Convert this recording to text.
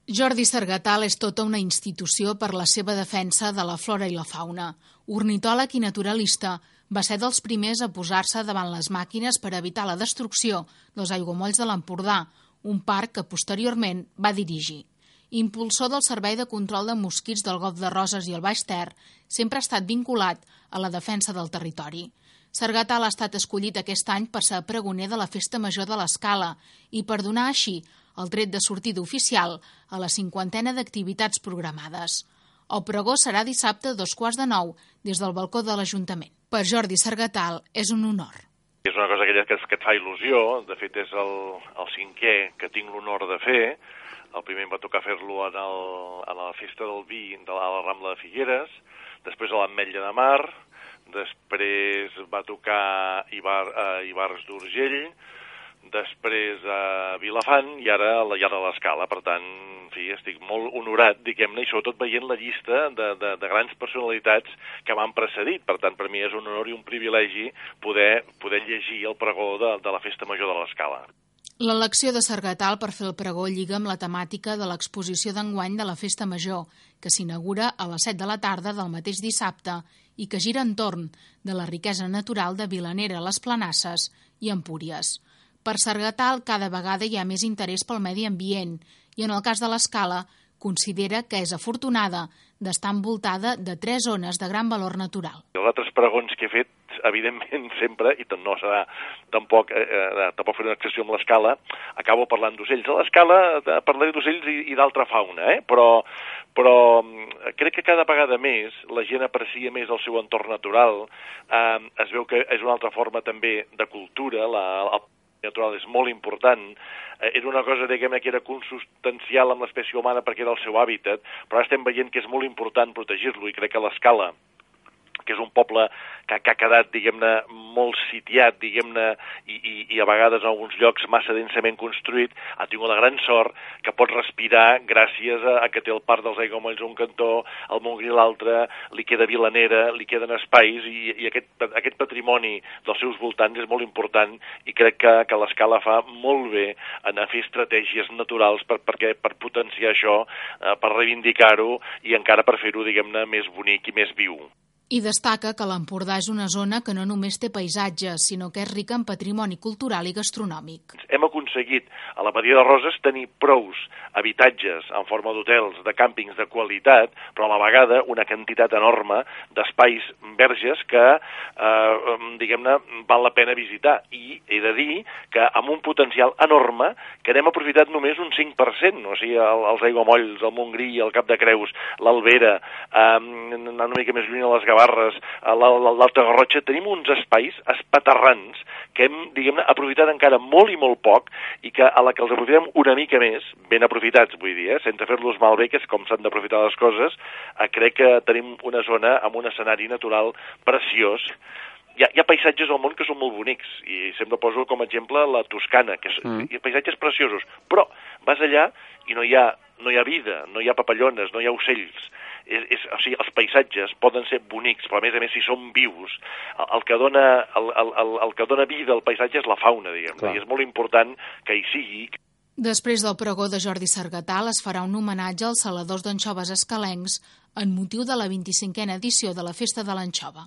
Jordi Sargatal és tota una institució per la seva defensa de la flora i la fauna. Ornitòleg i naturalista, va ser dels primers a posar-se davant les màquines per evitar la destrucció dels aiguamolls de l'Empordà, un parc que posteriorment va dirigir. Impulsor del Servei de Control de Mosquits del Golf de Roses i el Baix Ter, sempre ha estat vinculat a la defensa del territori. Sargatal ha estat escollit aquest any per ser pregoner de la Festa Major de l'Escala i per donar així el tret de sortida oficial a la 50ena d'activitats programades. El pregó serà dissabte a 8:45 des del balcó de l'Ajuntament. Per Jordi Sargatal és un honor. És una cosa aquella que et fa il·lusió, de fet és el cinquè que tinc l'honor de fer. El primer em va tocar fer-lo a la Festa del Vi de la Rambla de Figueres, després a l'Ametlla de Mar, després va tocar a Ivars d'Urgell, després a Vilafant i ara a l'Escala. Per tant, en fi, estic molt honorat, diguem-ne, i sobretot veient la llista de grans personalitats que m'han precedit. Per tant, per mi és un honor i un privilegi poder llegir el pregó de la Festa Major de l'Escala. L'elecció de Sargatal per fer el pregó lliga amb la temàtica de l'exposició d'enguany de la Festa Major, que s'inaugura a les 7 de la tarda del mateix dissabte i que gira entorn de la riquesa natural de Vilanera, les Planasses i Empúries. Per Sargatal cada vegada hi ha més interès pel medi ambient i en el cas de l'Escala considera que és afortunada d'estar envoltada de 3 zones de gran valor natural. Els altres pregons que he fet, evidentment sempre, i no serà tampoc fer una excepció amb l'Escala, acabo parlant d'ocells. A l'Escala parlaré d'ocells i d'altra fauna, però crec que cada vegada més la gent aprecia més el seu entorn natural, es veu que és una altra forma també de cultura, el natural és molt important, era una cosa, diguem-ne, que era consubstancial amb l'espècie humana perquè era el seu hàbitat, però ara estem veient que és molt important protegir-lo i crec que l'Escala, que és un poble que ha quedat, diguem-ne, molt sitiat, diguem-ne, i a vegades en alguns llocs massa densament construït, ha tingut la gran sort que pot respirar gràcies a que té el Parc dels Aiguamolls a un cantó, el Montgrí a l'altre, li queda Vilanera, li queden espais, i aquest patrimoni dels seus voltants és molt important i crec que l'Escala fa molt bé en fer estratègies naturals per potenciar això, per reivindicar-ho i encara per fer-ho, diguem-ne, més bonic i més viu. I destaca que l'Empordà és una zona que no només té paisatges, sinó que és rica en patrimoni cultural i gastronòmic. Hem aconseguit a la Badia de Roses tenir prous habitatges en forma d'hotels, de càmpings de qualitat, però a la vegada una quantitat enorme d'espais verges que, diguem-ne, val la pena visitar. I he de dir que amb un potencial enorme que n'hem aprofitat només un 5%, o sigui, els aiguamolls, el Montgrí, el Cap de Creus, l'Albera, una mica més lluny a les Gavarres, l'Alta Garrotxa, tenim uns espais espaterrans que hem, diguem-ne, aprofitat encara molt i molt poc i que a la que els aprofitem una mica més, ben aprofitats, vull dir, sense fer-los malbé, que és com s'han d'aprofitar les coses, crec que tenim una zona amb un escenari natural preciós. Hi ha paisatges al món que són molt bonics i sempre poso com a exemple la Toscana, que hi ha paisatges preciosos, però vas allà i no hi ha vida, no hi ha papallones, no hi ha ocells. O sigui, els paisatges poden ser bonics, però a més si són vius, el que dona vida al paisatge és la fauna, diguem-ne, i és molt important que hi sigui. Després del pregó de Jordi Sargatal es farà un homenatge als saladors d'anxoves escalencs en motiu de la 25a edició de la Festa de l'Anxova.